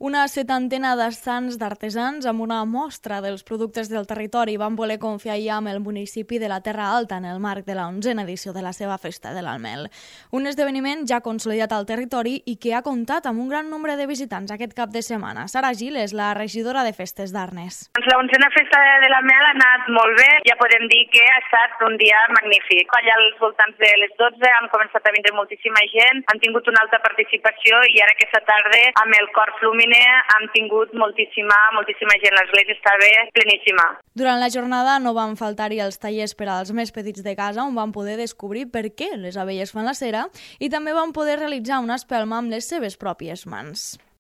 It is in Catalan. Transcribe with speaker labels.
Speaker 1: Una setantena d'estants d'artesans amb una mostra dels productes del territori van voler confiar ja amb el municipi de la Terra Alta en el marc de la 11a edició de la seva Festa de l'Almel. Un esdeveniment ja consolidat al territori i que ha comptat amb un gran nombre de visitants aquest cap de setmana. Sara Gil és la regidora de Festes d'Arnes.
Speaker 2: La 11a Festa de l'Almel ha anat molt bé, ja podem dir que ha estat un dia magnífic. Allà als voltants de les 12 han començat a vindre moltíssima gent, han tingut una alta participació i ara aquesta tarda amb el cor Flumine hem tingut moltíssima gent, l'església estava pleníssima.
Speaker 1: Durant la jornada no van faltar-hi els tallers per als més petits de casa on van poder descobrir per què les abelles fan la cera i també van poder realitzar una espelma amb les seves pròpies mans.